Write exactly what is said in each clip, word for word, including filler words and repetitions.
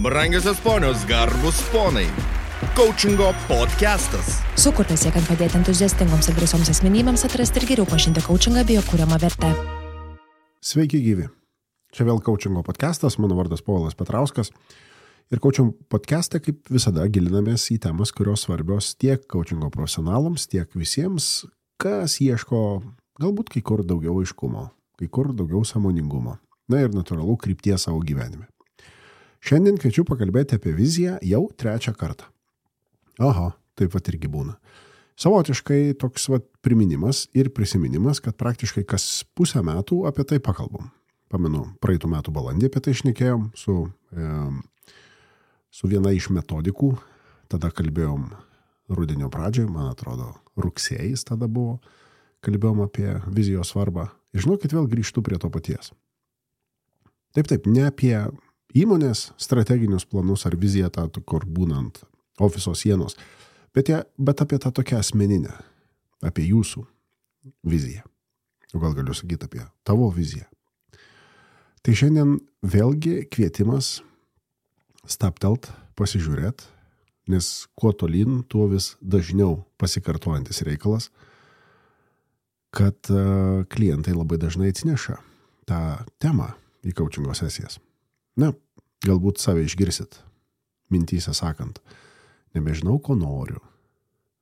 Brangiosios ponios, garbus ponai. Coachingo podcastas. Sukurtas siekiant padėti entuziastingoms ir drąsioms asmenybėms atrasti ir geriau pažinti coachingą bei jo kuriamą vertę. Sveiki gyvi. Čia vėl Coachingo podcastas, mano vardas Povilas Petrauskas. Ir Coachingo podcast'e, kaip visada, gilinamės į temas, kurios svarbios tiek coachingo profesionalams, tiek visiems, kas ieško galbūt kai kur daugiau aiškumo, kai kur daugiau sąmoningumo. Na ir natūralu krypties savo gyvenime. Šiandien kviečiu pakalbėti apie viziją jau trečią kartą. Aha, taip pat irgi būna. Savotiškai toks vat priminimas ir prisiminimas, kad praktiškai kas pusę metų apie tai pakalbam. Pamenu, praeitų metų balandį apie tai šnekėjom su, e, su viena iš metodikų. Tada kalbėjom rudenio pradžioje, man atrodo, rugsėjais tada buvo. Kalbėjom apie vizijos svarbą. Ir žinokit, vėl grįžtu prie to paties. Taip, taip, ne apie įmonės strateginius planus ar viziją tą, kur būnant ofiso sienos, bet, ja, bet apie tą tokią asmeninę, apie jūsų viziją. O gal galiu sakyti apie tavo viziją. Tai šiandien vėlgi kvietimas stabtelt, pasižiūrėt, nes kuo tolyn, tuo vis dažniau pasikartojantis reikalas, kad uh, klientai labai dažnai atsineša tą temą į coachingo sesijas. Na, galbūt save išgirsit, mintyse sakant, nebežinau, ko noriu,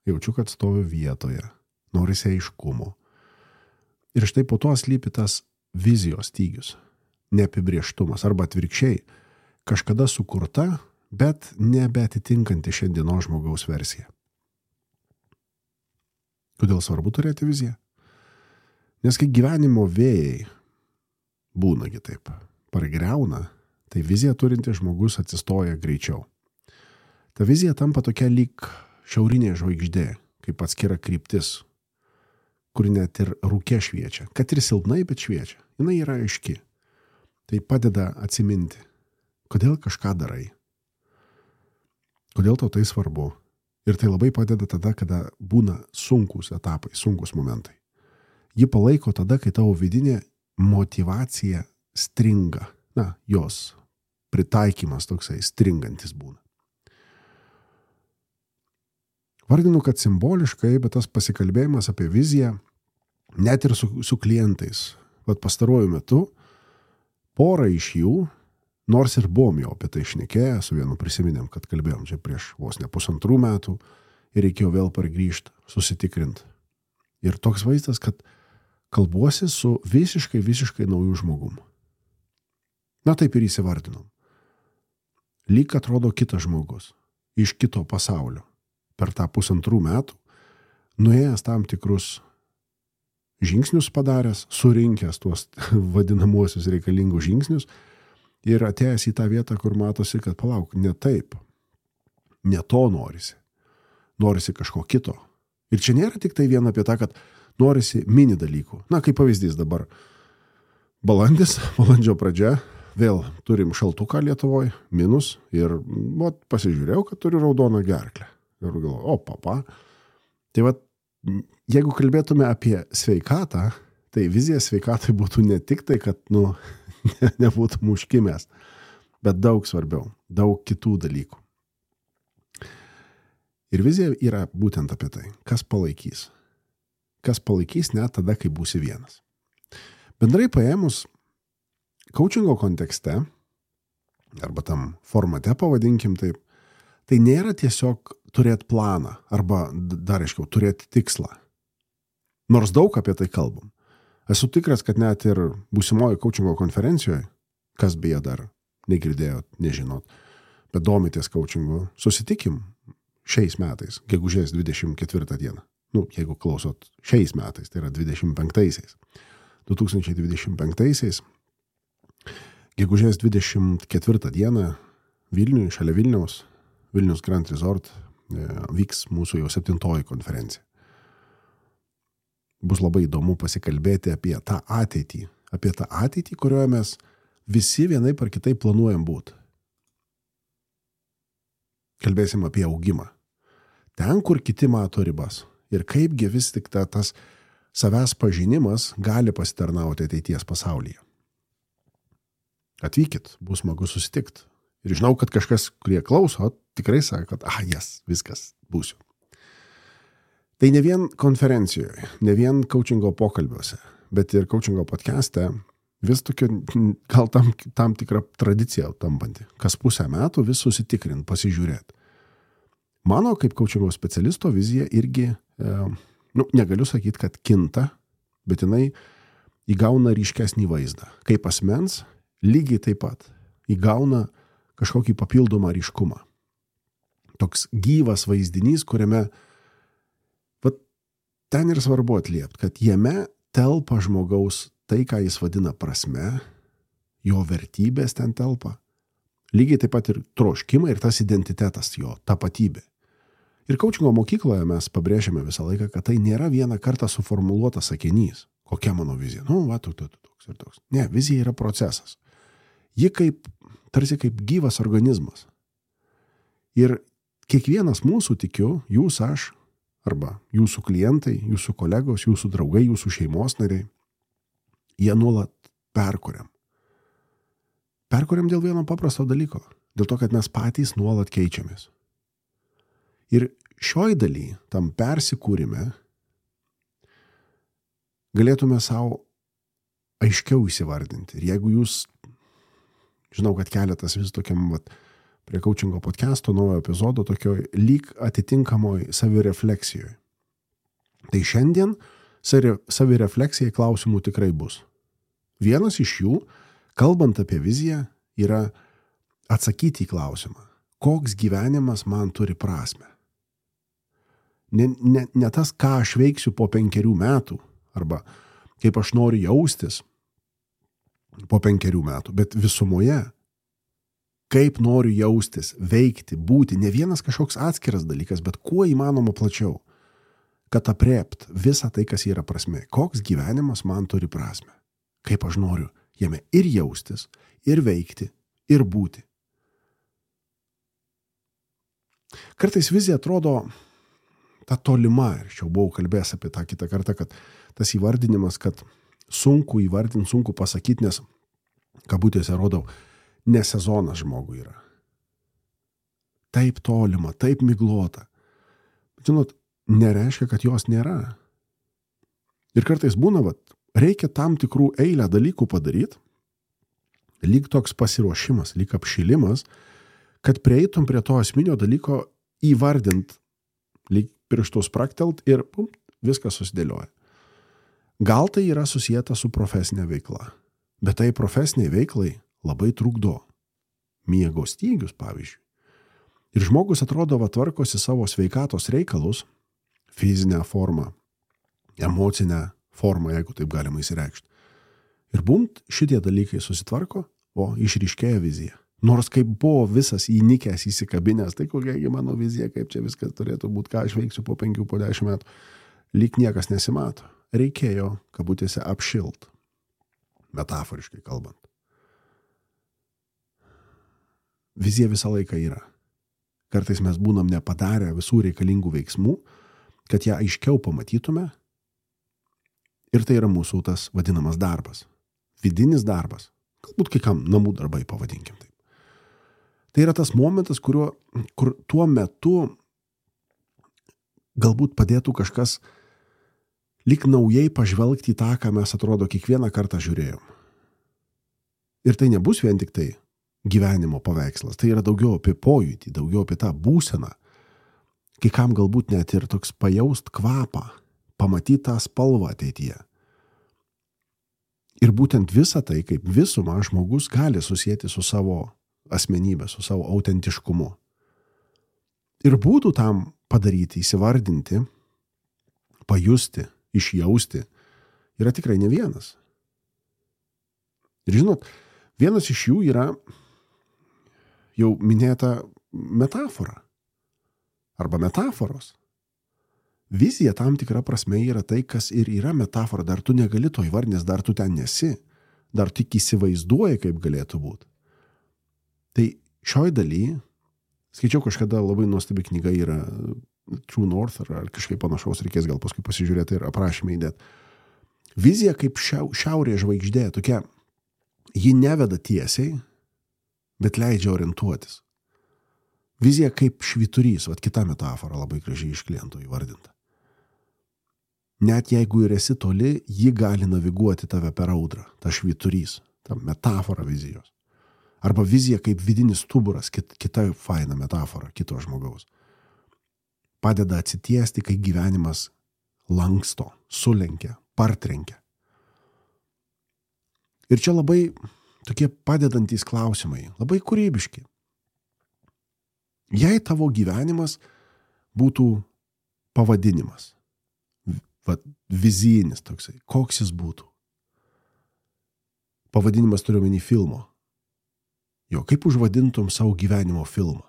jaučiu, kad stoviu vietoje, norisi aiškumo. Ir štai po to slypi tas vizijos stygius, neapibrieštumas arba atvirkščiai, kažkada sukurta, bet nebeatitinkanti šiandienos žmogaus versiją. Kodėl svarbu turėti viziją? Nes kai gyvenimo vėjai būnagi taip, pargriauna, tai viziją turintis žmogus atsistoja greičiau. Ta vizija tampa tokia lyg šiaurinė žvaigždė, kaip atskira kryptis, kur net ir rūke šviečia. Kad ir silpnai, bet šviečia. Jinai yra aiški. Tai padeda atsiminti, kodėl kažką darai. Kodėl tau tai svarbu. Ir tai labai padeda tada, kada būna sunkus etapai, sunkus momentai. Ji palaiko tada, kai tavo vidinė motyvacija stringa. Na, jos pritaikymas toksai stringantis būna. Vardinu, kad simboliškai, bet tas pasikalbėjimas apie viziją, net ir su, su klientais, vat pastaruoju metu, pora iš jų, nors ir buvom jau apie tai šnekėję, su vienu prisiminėm, kad kalbėjom čia prieš vos ne pusantrų metų ir reikėjo vėl pargrįžti, susitikrinti. Ir toks vaizdas, kad kalbuosi su visiškai, visiškai naujų žmogum. Na taip ir įsivardinom. Lyg atrodo kitas žmogus, iš kito pasaulio, per tą pusantrų metų, nuėjęs tam tikrus žingsnius padaręs, surinkęs tuos vadinamuosius reikalingus žingsnius ir atėjęs į tą vietą, kur matosi, kad palauk, ne taip, ne to norisi, norisi kažko kito. Ir čia nėra tik tai viena apie tą, kad norisi mini dalykų. Na, kaip pavyzdys dabar, balandis, balandžio pradžia, vėl turim šaltuką Lietuvoje, minus, ir vat, pasižiūrėjau, kad turiu raudoną gerklę. Ir galvoju, o, papa. Tai vat, jeigu kalbėtume apie sveikatą, tai vizija sveikatai būtų ne tik tai, kad, nu, ne, nebūtų muškimės, bet daug svarbiau, daug kitų dalykų. Ir vizija yra būtent apie tai, kas palaikys. Kas palaikys net tada, kai būsi vienas. Bendrai paėmus, coachingo kontekste, arba tam formate pavadinkim taip, tai nėra tiesiog turėti planą, arba dar aiškiau, turėti tikslą. Nors daug apie tai kalbam. Esu tikras, kad net ir būsimojo coachingo konferencijoje, kas beje dar negirdėjot, nežinot, bet domitės coachingu, susitikim šiais metais, gegužės dvidešimt ketvirtą dieną. Nu, jeigu klausot šiais metais, tai yra dvidešimt penktaisiais. du tūkstančiai dvidešimt penktaisiais, gegužės dvidešimt ketvirtą dieną Vilniuje, šalia Vilniaus, Vilnius Grand Resort, vyks mūsų jau septintoji konferencija. Bus labai įdomu pasikalbėti apie tą ateitį, apie tą ateitį, kurioje mes visi vienai par kitai planuojam būti. Kalbėsim apie augimą. Ten, kur kiti mato ribas. Ir kaipgi vis tik ta, tas savęs pažinimas gali pasitarnauti ateities pasaulyje. Atvykit, bus smagu susitikti Ir žinau, kad kažkas, kurie klauso, tikrai sako, kad, ah, jas, viskas, būsiu. Tai ne vien konferencijoje, ne vien coachingo pokalbiuose, bet ir coachingo podcast'e vis tokia, gal tam, tam tikrą tradiciją tampanti. Kas pusę metų vis susitikrint, pasižiūrėti. Mano kaip coachingo specialisto vizija irgi, e, nu, negaliu sakyti, kad kinta, bet jinai įgauna ryškesnį vaizdą. Kaip asmens, lygiai taip pat įgauna kažkokį papildomą ryškumą. Toks gyvas vaizdinys, kuriame vat, ten ir svarbu atliepti, kad jame telpa žmogaus tai, ką jis vadina prasme, jo vertybės ten telpa. Lygiai taip pat ir troškimai ir tas identitetas, jo tapatybė. Ir coachingo mokykloje mes pabrėžiame visą laiką, kad tai nėra vieną kartą suformuluotas sakinys. Kokia mano vizija? Nu, va, toks, toks ir toks. Ne, vizija yra procesas. Ji kaip, tarsi kaip gyvas organizmas. Ir kiekvienas mūsų, tikiu, jūs, aš, arba jūsų klientai, jūsų kolegos, jūsų draugai, jūsų šeimos nariai, jie nuolat perkuriam. Perkuriam dėl vieno paprasto dalyko. Dėl to, kad mes patys nuolat keičiamės. Ir šioj daly, tam persikūrime, galėtume savo aiškiau įsivardinti. Ir jeigu jūs, žinau, kad keletas vis tokiam vat, prie coachingo podcast'o naujo epizodo tokioj lyg atitinkamoj savirefleksijoje. Tai šiandien savirefleksijai klausimų tikrai bus. Vienas iš jų, kalbant apie viziją, yra atsakyti į klausimą, koks gyvenimas man turi prasmę. Ne, ne, ne tas, ką aš veiksiu po penkerių metų, arba kaip aš noriu jaustis po penkerių metų, bet visumoje, kaip noriu jaustis, veikti, būti, ne vienas kažkoks atskiras dalykas, bet kuo įmanoma plačiau, kad aprėpt visą tai, kas yra prasmė. Koks gyvenimas man turi prasmę. Kaip aš noriu jame ir jaustis, ir veikti, ir būti. Kartais vizija atrodo ta tolima, ir aš jau buvau kalbėjęs apie tą kitą kartą, kad tas įvardinimas, kad sunku įvardinti, sunku pasakyti, nes kabutėse rodau, ne sezonas žmogui yra. Taip tolima, taip miglota. Bet žinot, nereiškia, kad jos nėra. Ir kartais būna, vat, reikia tam tikrų eilę dalykų padaryti, lyg toks pasiruošimas, lyg apšilimas, kad prieitum prie to esminio dalyko įvardint, lyg pirštus praktelt ir pum, viskas susidėlioja. Gal tai yra susijęta su profesinė veikla, bet tai profesiniai veiklai labai trukdo miego stygius, pavyzdžiui. Ir žmogus atrodo, va, tvarkosi savo sveikatos reikalus, fizinę formą, emocinę formą, jeigu taip galima įsireikšti. Ir bumt, šitie dalykai susitvarko, o išryškėja vizija. Nors kaip buvo visas įnikęs, įsikabinęs, tai kokiagi mano vizija, kaip čia viskas turėtų būti, ką aš veiksiu po penkių, po dešimt metų, lyg niekas nesimato. Reikėjo, kabutėse, apšilt, metaforiškai kalbant. Vizija visą laiką yra. Kartais mes būnam nepadarę visų reikalingų veiksmų, kad ją aiškiau pamatytume. Ir tai yra mūsų tas vadinamas darbas. Vidinis darbas. Galbūt kai kam namų darbai pavadinkim taip. Tai yra tas momentas, kuriuo, kur tuo metu galbūt padėtų kažkas lyg naujai pažvelgti į tą, ką mes atrodo kiekvieną kartą žiūrėjom. Ir tai nebus vien tik tai gyvenimo paveikslas, tai yra daugiau apie pojūtį, daugiau apie tą būseną. Kai kam galbūt net ir toks pajaust kvapą, pamatyti tą spalvą ateityje. Ir būtent visą tai, kaip visumą žmogus gali susijęti su savo asmenybė, su savo autentiškumu. Ir būdų tam padaryti, įsivardinti, pajusti, išjausti, yra tikrai ne vienas. Ir žinot, vienas iš jų yra jau minėta metafora arba metaforos. Vizija tam tikra prasme yra tai, kas ir yra metafora, dar tu negali to įvardinti, dar tu ten nesi, dar tik įsivaizduoji, kaip galėtų būti. Tai šioj daly, skaičiau kažkada labai nuostabi knyga yra True North ar kažkaip panašaus, reikės gal paskui pasižiūrėti ir aprašymą įdėti. Vizija kaip šiau, šiaurė žvaigždė, tokia, ji neveda tiesiai, bet leidžia orientuotis. Vizija kaip švyturys, vat kita metafora labai gražiai iš kliento įvardinta. Net jeigu ir esi toli, ji gali naviguoti tave per audrą, ta švyturys, ta metafora vizijos. Arba vizija kaip vidinis stuburas, kit, kita faina metafora kito žmogaus. Padeda atsitiesti, kai gyvenimas lanksto, sulenkia, partrenkia. Ir čia labai tokie padedantys klausimai, labai kūrybiški. Jei tavo gyvenimas būtų pavadinimas, va, vizijinis toksai, koks jis būtų? Pavadinimas turiu omeny filmo. Jo, kaip užvadintum savo gyvenimo filmą?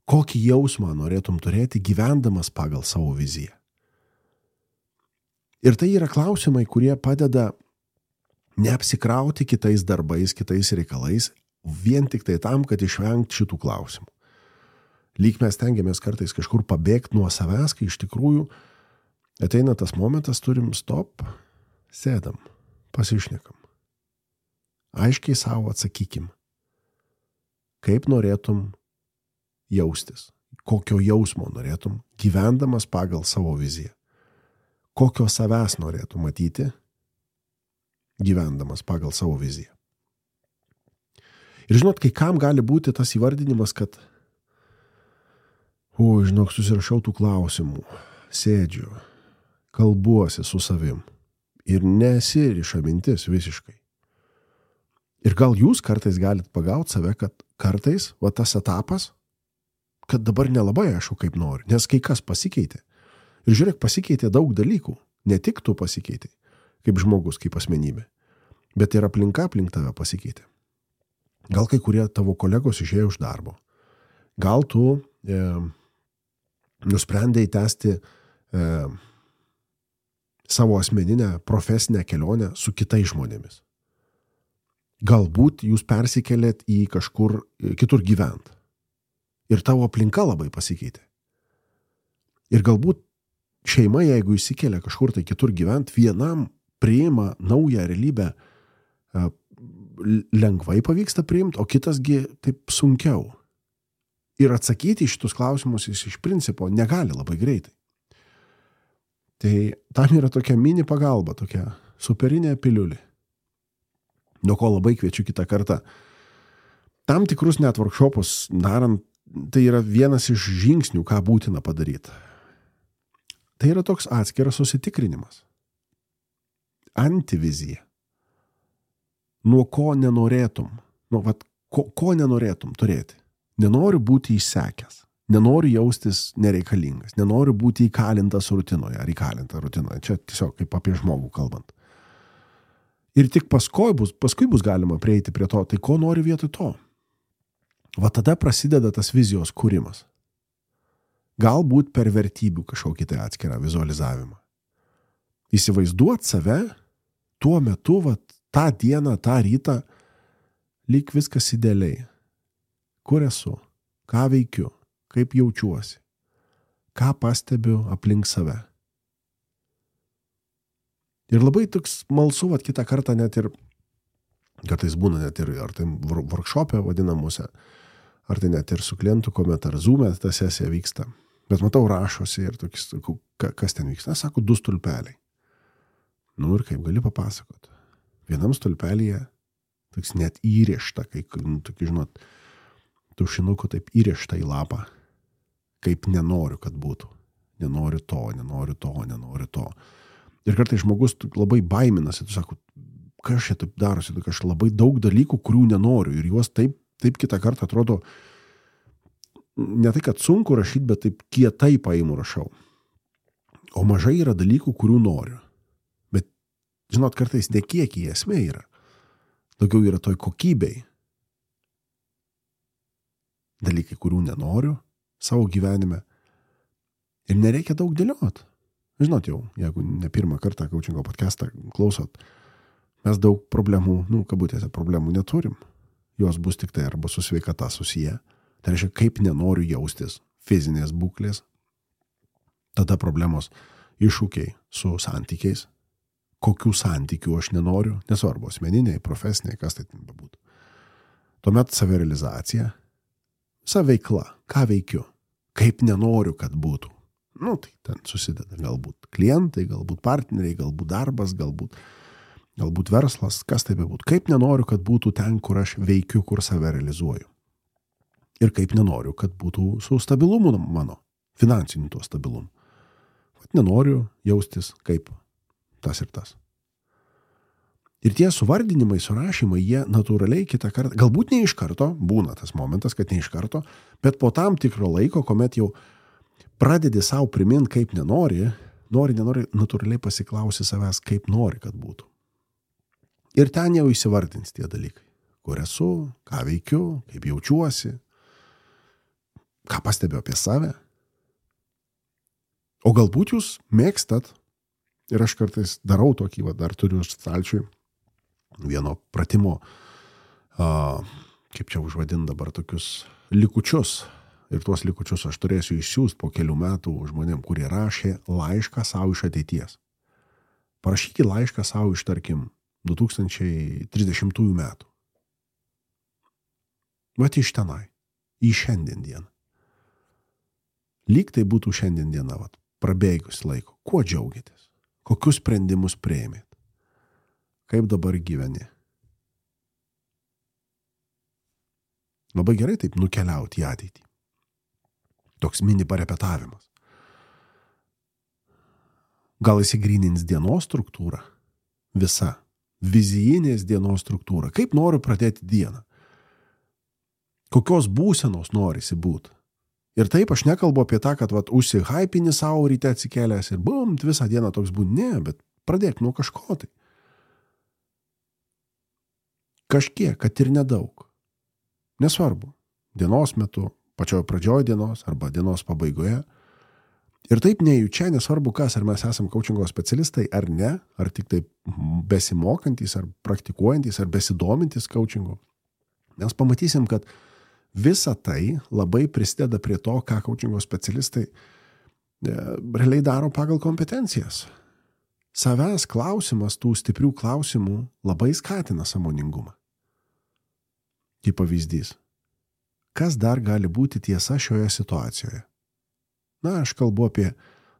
Kokį jausmą norėtum turėti gyvendamas pagal savo viziją? Ir tai yra klausimai, kurie padeda neapsikrauti kitais darbais, kitais reikalais, vien tik tai tam, kad išvengti šitų klausimų. Lyg mes tengiamės kartais kažkur pabėgti nuo savęs, kai iš tikrųjų ateina tas momentas, turim stop, sėdam, pasišnekam. Aiškiai savo atsakykim, kaip norėtum jaustis, kokio jausmo norėtum, gyvendamas pagal savo viziją. Kokio savęs norėtum matyti, gyvendamas pagal savo viziją. Ir žinot, kai kam gali būti tas įvardinimas, kad o, žinok, susirašau tų klausimų, sėdžiu, kalbuosi su savim ir nesiriša mintis visiškai. Ir gal jūs kartais galit pagauti save, kad kartais, va tas etapas, kad dabar nelabai aišku, kaip nori, nes kai kas pasikeitė. Ir žiūrėk, pasikeitė daug dalykų, ne tik tu pasikeitė, kaip žmogus, kaip asmenybė, bet ir aplinka aplink tave pasikeitė. Gal kai kurie tavo kolegos išėjo iš darbo. Gal tu e, nusprendei tęsti e, savo asmeninę profesinę kelionę su kitais žmonėmis. Galbūt jūs persikėlėt į kažkur kitur gyvent. Ir tavo aplinka labai pasikeitė. Ir galbūt šeima, jeigu įsikelia kažkur tai kitur gyvent, vienam priima naują realybę, lengvai pavyksta priimti, o kitasgi taip sunkiau. Ir atsakyti į šitus klausimus jis iš principo negali labai greitai. Tai tam yra tokia mini pagalba, tokia superinė piliulė. Nuo ko labai kviečiu kitą kartą. Tam tikrus net workshopus darant, tai yra vienas iš žingsnių, ką būtina padaryti. Tai yra toks atskiras susitikrinimas. Antivizija. Nuo ko nenorėtum, nu, vat, ko, ko nenorėtum turėti. Nenoriu būti išsekęs, nenoriu jaustis nereikalingas, nenoriu būti įkalintas rutinoje ar įkalinta rutinoje. Čia tiesiog kaip apie žmogų kalbant. Ir tik paskui bus, paskui bus galima prieiti prie to, tai ko nori vietoj to. Va tada prasideda tas vizijos kūrimas. Galbūt per vertybių kažkokį tai atskirą vizualizavimą. Įsivaizduot save tuo metu, va, tą dieną, tą rytą, lyg viskas idealiai. Kur esu, ką veikiu, kaip jaučiuosi, ką pastebiu aplink save. Ir labai toks malsu, vat kitą kartą net ir, kartais būna net ir, ar tai workshopė vadinamuose, ar tai net ir su klientu, kuomet ar Zoom'e ta sesija vyksta. Bet matau, rašosi ir tokis, kas ten vyksta. Na, sako, du stulpeliai. Nu ir kaip gali papasakoti. Vienam stulpelyje toks net įrišta, kai, nu, tokį, žinot, tušinuku taip įrišta į lapą, kaip nenoriu, kad būtų. Nenoriu to, nenoriu to, nenoriu to. Ir kartais žmogus labai baiminasi, tu sako, kas čia taip darosi, aš labai daug dalykų, kurių nenoriu ir juos taip, taip kitą kartą atrodo, ne tai, kad sunku rašyti, bet taip kietai paimu rašau. O mažai yra dalykų, kurių noriu. Bet, žinot, kartais ne kiekį esmė yra. Daugiau yra toj kokybei. Dalykai, kurių nenoriu savo gyvenime. Ir nereikia daug dėliot. Žinot jau, jeigu ne pirmą kartą coachingo podcastą klausot, mes daug problemų, nu, kabutėse problemų neturim. Jos bus tik tai arba su sveikata susiję. Tai reiškia, kaip nenoriu jaustis fizinės būklės. Tada problemos iššūkiai su santykiais. Kokių santykių aš nenoriu, nesvarbu, asmeniniai, profesiniai, kas tai bebūtų. Tuomet savirealizacija, visa veikla, ką veikiu, kaip nenoriu, kad būtų. Nu, tai ten susideda galbūt klientai, galbūt partneriai, galbūt darbas, galbūt, galbūt verslas, kas tai bebūtų. Kaip nenoriu, kad būtų ten, kur aš veikiu, kur save realizuoju. Ir kaip nenoriu, kad būtų su stabilumu mano, finansiniu tuo stabilumu. Vat nenoriu jaustis kaip tas ir tas. Ir tie suvardinimai, surašymai, jie natūraliai kitą kartą, galbūt ne iš karto, būna tas momentas, kad ne iš karto, bet po tam tikro laiko, kuomet jau pradedi savo primint, kaip nenori, nori, nenori, natūraliai pasiklausi savęs, kaip nori, kad būtų. Ir ten jau įsivardins tie dalykai. Kur esu, ką veikiu, kaip jaučiuosi, ką pastebiu apie save. O galbūt jūs mėgstat, ir aš kartais darau tokį, va, dar turiu stalčiui, vieno pratimo, a, kaip čia užvadin dabar, tokius likučius. Ir tuos likučius aš turėsiu išsiųsti po kelių metų žmonėm, kurie rašė laišką savo iš ateities. Parašykit laišką savo iš, tarkim, du tūkstančiai trisdešimtųjų metų. Vat iš tenai, į šiandien dieną. Lyg tai būtų šiandien diena, vat, prabėgus laiko. Kuo džiaugiatės? Kokius sprendimus priėmėt? Kaip dabar gyveni? Labai gerai taip nukeliauti į ateitį. Toks mini parepetavimas. Gal įsigrynins dienos struktūrą? Visa. Vizijinės dienos struktūra. Kaip noriu pradėti dieną? Kokios būsenos norisi būti? Ir taip aš nekalbu apie tą, kad vat, užsihaipini savo ryte atsikėlęs ir bum, visą dieną toks būti. Ne, bet pradėk nuo kažko tai. Kažkiek, kad ir nedaug. Nesvarbu. Dienos metu, pačioje pradžioje dienos arba dienos pabaigoje. Ir taip nejučia, nesvarbu kas, ar mes esam coachingo specialistai ar ne, ar tik taip besimokantys, ar praktikuojantys, ar besidomintys coachingu. Mes pamatysim, kad visa tai labai prisideda prie to, ką coachingo specialistai realiai daro pagal kompetencijas. Savęs klausimas, tų stiprių klausimų labai skatina sąmoningumą. Kaip pavyzdys. Kas dar gali būti tiesa šioje situacijoje? Na, aš kalbu apie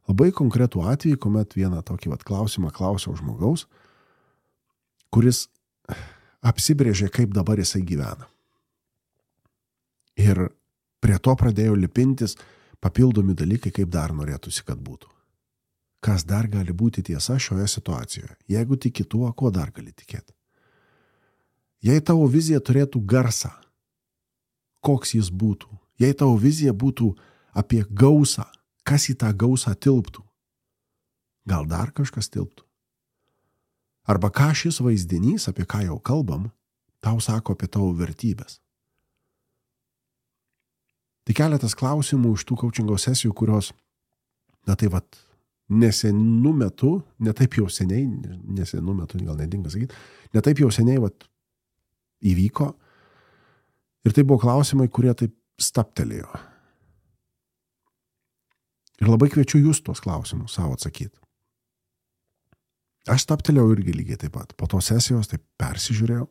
labai konkretų atvejį, kuomet vieną tokį vat klausimą klausiau žmogaus, kuris apsibrėžė, kaip dabar jisai gyvena. Ir prie to pradėjo lipintis papildomi dalykai, kaip dar norėtųsi, kad būtų. Kas dar gali būti tiesa šioje situacijoje? Jeigu tiki tuo, kuo dar gali tikėti? Jei tavo vizija turėtų garsą, koks jis būtų? Jei tavo vizija būtų apie gausą, kas į tą gausą tilptų? Gal dar kažkas tilptų? Arba ką šis vaizdinys, apie ką jau kalbam, tau sako apie tavo vertybės? Tai keletas klausimų iš tų coachingo sesijų, kurios, na tai vat, nesenu metu, ne taip jau seniai, nesenu metu, gal nedinga sakyti, ne taip jau seniai vat, įvyko. Ir tai buvo klausimai, kurie taip staptelėjo. Ir labai kviečiu jūs tuos klausimus savo atsakyti. Aš staptelėjau irgi lygiai taip pat. Po tos sesijos taip persižiūrėjau,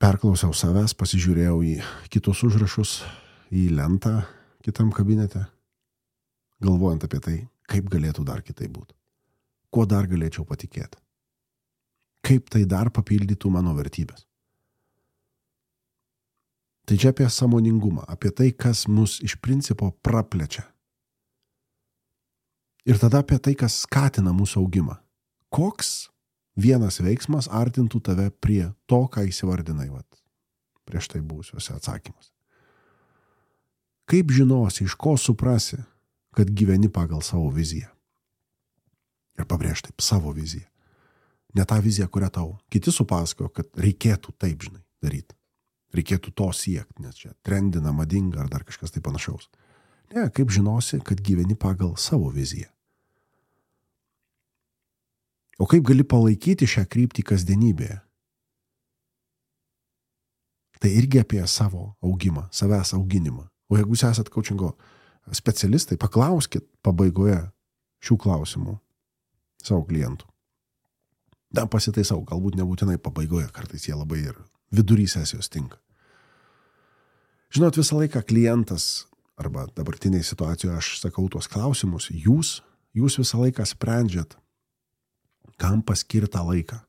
perklausiau savęs, pasižiūrėjau į kitus užrašus, į lentą kitam kabinete, galvojant apie tai, kaip galėtų dar kitai būti. Kuo dar galėčiau patikėti. Kaip tai dar papildytų mano vertybės. Tai čia apie sąmoningumą, apie tai, kas mus iš principo praplečia. Ir tada apie tai, kas skatina mūsų augimą. Koks vienas veiksmas artintų tave prie to, ką įsivardinai vat, prieš tai buvusiuose atsakymuose. Kaip žinosi, iš ko suprasi, kad gyveni pagal savo viziją. Ir pabrėž taip, savo viziją. Ne tą viziją, kurią tau kiti supasakojo, kad reikėtų taip, žinai, daryti. Reikėtų to siekti, nes čia trendina, madinga ar dar kažkas tai panašaus. Ne, kaip žinosi, kad gyveni pagal savo viziją. O kaip gali palaikyti šią kryptį kasdienybėje? Tai irgi apie savo augimą, savęs auginimą. O jeigu jūs esat coachingo specialistai, paklauskit pabaigoje šių klausimų savo klientų. Da, pasitaisau, galbūt nebūtinai pabaigoje, kartais jie labai ir vidury sesijos tinka. Žinot, visą laiką klientas, arba dabartinėje situacijoje aš sakau tuos klausimus, jūs, jūs visą laiką sprendžiat, kam paskirtą laiką.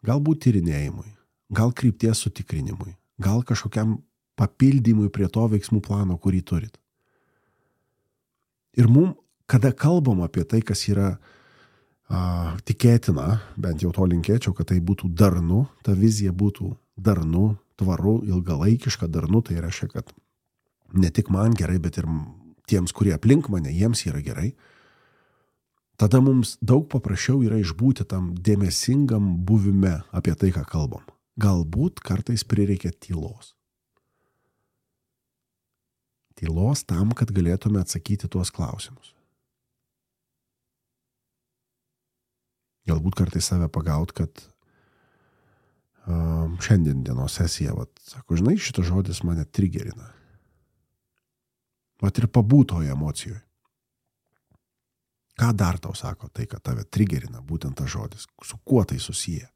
Galbūt tyrinėjimui, gal krypties sutikrinimui, gal kažkokiam papildymui prie to veiksmų plano, kurį turit. Ir mum, kada kalbam apie tai, kas yra a, tikėtina, bent jau to linkėčiau, kad tai būtų darnu, ta vizija būtų darnu, tvaru, ilgalaikiška darnu, tai reiškia, kad ne tik man gerai, bet ir tiems, kurie aplink mane, jiems yra gerai. Tada mums daug paprasčiau yra išbūti tam dėmesingam buvime apie tai, ką kalbam. Galbūt kartais prireikia tylos. Tylos tam, kad galėtume atsakyti tuos klausimus. Galbūt kartais save pagaut, kad um, šiandien dienos sesija, vat, sako, žinai, šitas žodis mane trigerina. Vat ir pabūtoje emocijoje. Ką dar tau sako tai, kad tave trigerina būtent tas žodis? Su kuo tai susiję?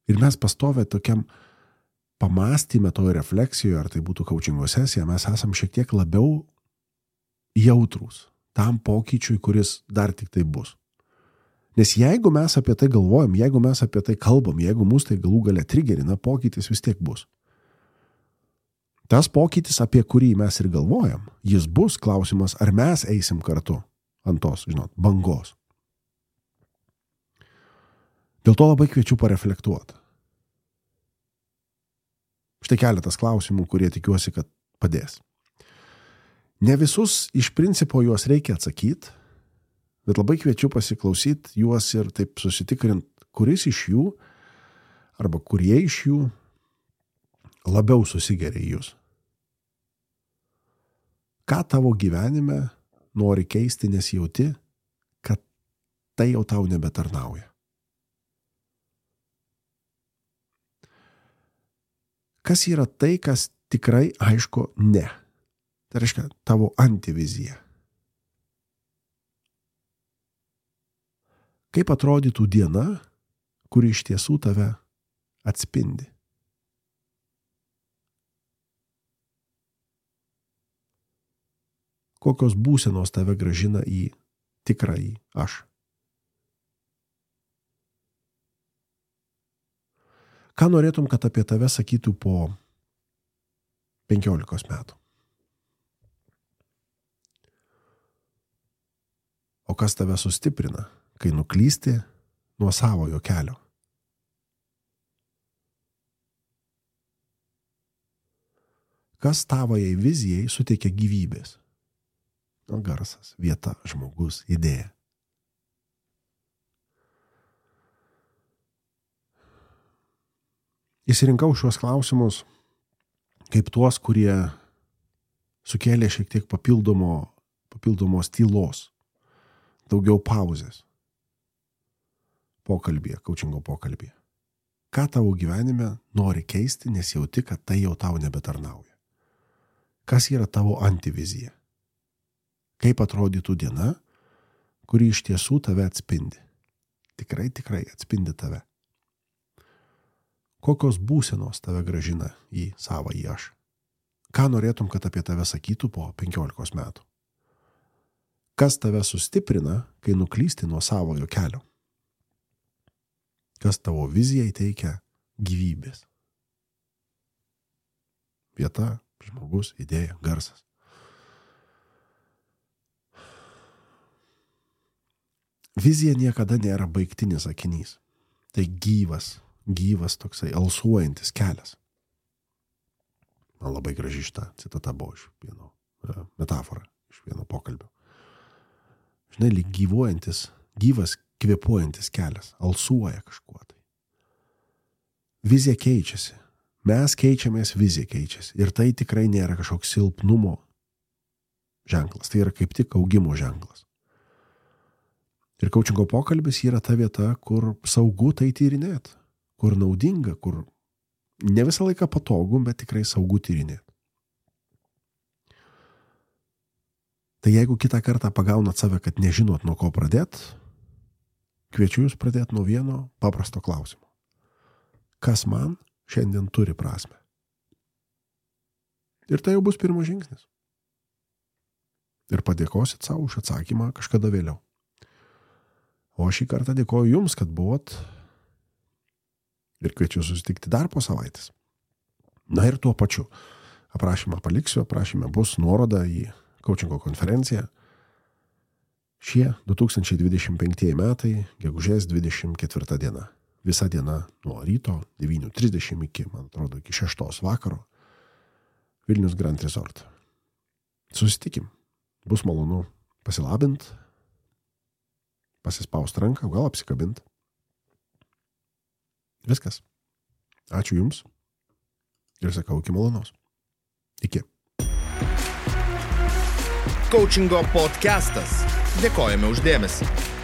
Ir mes pastovę tokiam pamąstyme, toje refleksijoje, ar tai būtų coachingo sesija, mes esam šiek tiek labiau jautrūs tam pokyčiui, kuris dar tik tai bus. Nes jeigu mes apie tai galvojam, jeigu mes apie tai kalbam, jeigu mus tai galų gale trigerina, pokytis vis tiek bus. Tas pokytis, apie kurį mes ir galvojam, jis bus, klausimas, ar mes eisim kartu ant tos, žinot, bangos. Dėl to labai kviečiu pareflektuoti. Štai keletas klausimų, kurie tikiuosi, kad padės. Ne visus iš principo juos reikia atsakyti, bet labai kviečiu pasiklausyti juos ir taip susitikrint, kuris iš jų arba kurie iš jų labiau susigeria į jūs. Ką tavo gyvenime nori keisti, nes jauti, kad tai jau tau nebetarnauja. Kas yra tai, kas tikrai aišku ne? Tai reiškia tavo antivizija. Kaip atrodytų diena, kuri iš tiesų tave atspindi? Kokios būsenos tave grąžina į tikrąjį aš? Ką norėtum, kad apie tave sakytų po penkiolikos metų? O kas tave sustiprina, kai nuklysti nuo savojo kelio? Kas tavojai vizijai suteikia gyvybės? Garsas, vieta, žmogus, idėja. Įsirinkau šios klausimus kaip tuos, kurie sukėlė šiek tiek papildomo, papildomos tylos, daugiau pauzės pokalbėje, coachingo pokalbėje. Ką tavo gyvenime nori keisti, nes jauti, kad tai jau tau nebetarnauja? Kas yra tavo antivizija? Kaip atrodytų diena, kuri iš tiesų tave atspindi? Tikrai, tikrai atspindi tave. Kokios būsenos tave grąžina į savąjį aš? Ką norėtum, kad apie tave sakytų po penkiolikos metų? Kas tave sustiprina, kai nuklysti nuo savojo kelio? Kas tavo vizijai teikia gyvybės? Vieta, žmogus, idėja, garsas. Vizija niekada nėra baigtinis sakinys. Tai gyvas, gyvas toksai alsuojantis kelias. Man labai graži šita citata buvo iš vieno metafora, iš vieno pokalbio. Žinai, lyg gyvuojantis, gyvas, kvėpuojantis kelias, alsuoja kažkuo tai. Vizija keičiasi. Mes keičiamės, vizija keičiasi. Ir tai tikrai nėra kažkoks silpnumo ženklas. Tai yra kaip tik augimo ženklas. Ir coachingo pokalbis yra ta vieta, kur saugu tai tyrinėt, kur naudinga, kur ne visą laiką patogu, bet tikrai saugu tyrinėt. Tai jeigu kitą kartą pagaunat save, kad nežinot nuo ko pradėt, kviečiu jūs pradėti nuo vieno paprasto klausimo. Kas man šiandien turi prasmę? Ir tai jau bus pirmas žingsnis. Ir padėkosit savo už atsakymą kažkada vėliau. O šį kartą dėkoju jums, kad buvot ir kviečiu susitikti dar po savaitės. Na ir tuo pačiu. Aprašymą paliksiu, aprašyme bus nuoroda į coachingo konferenciją. Šie du tūkstančiai dvidešimt penktieji metai, gegužės dvidešimt ketvirta diena. Visa diena nuo ryto devynių trisdešimt iki, man atrodo, iki šeštos vakaro. Vilnius Grand Resort. Susitikim. Bus malonu pasilabint, pasispaust ranką, gal apsikabint. Viskas. Ačiū jums. Ir sakau, iki malonaus. Iki. Coachingo podcastas. Dėkojame už dėmesį.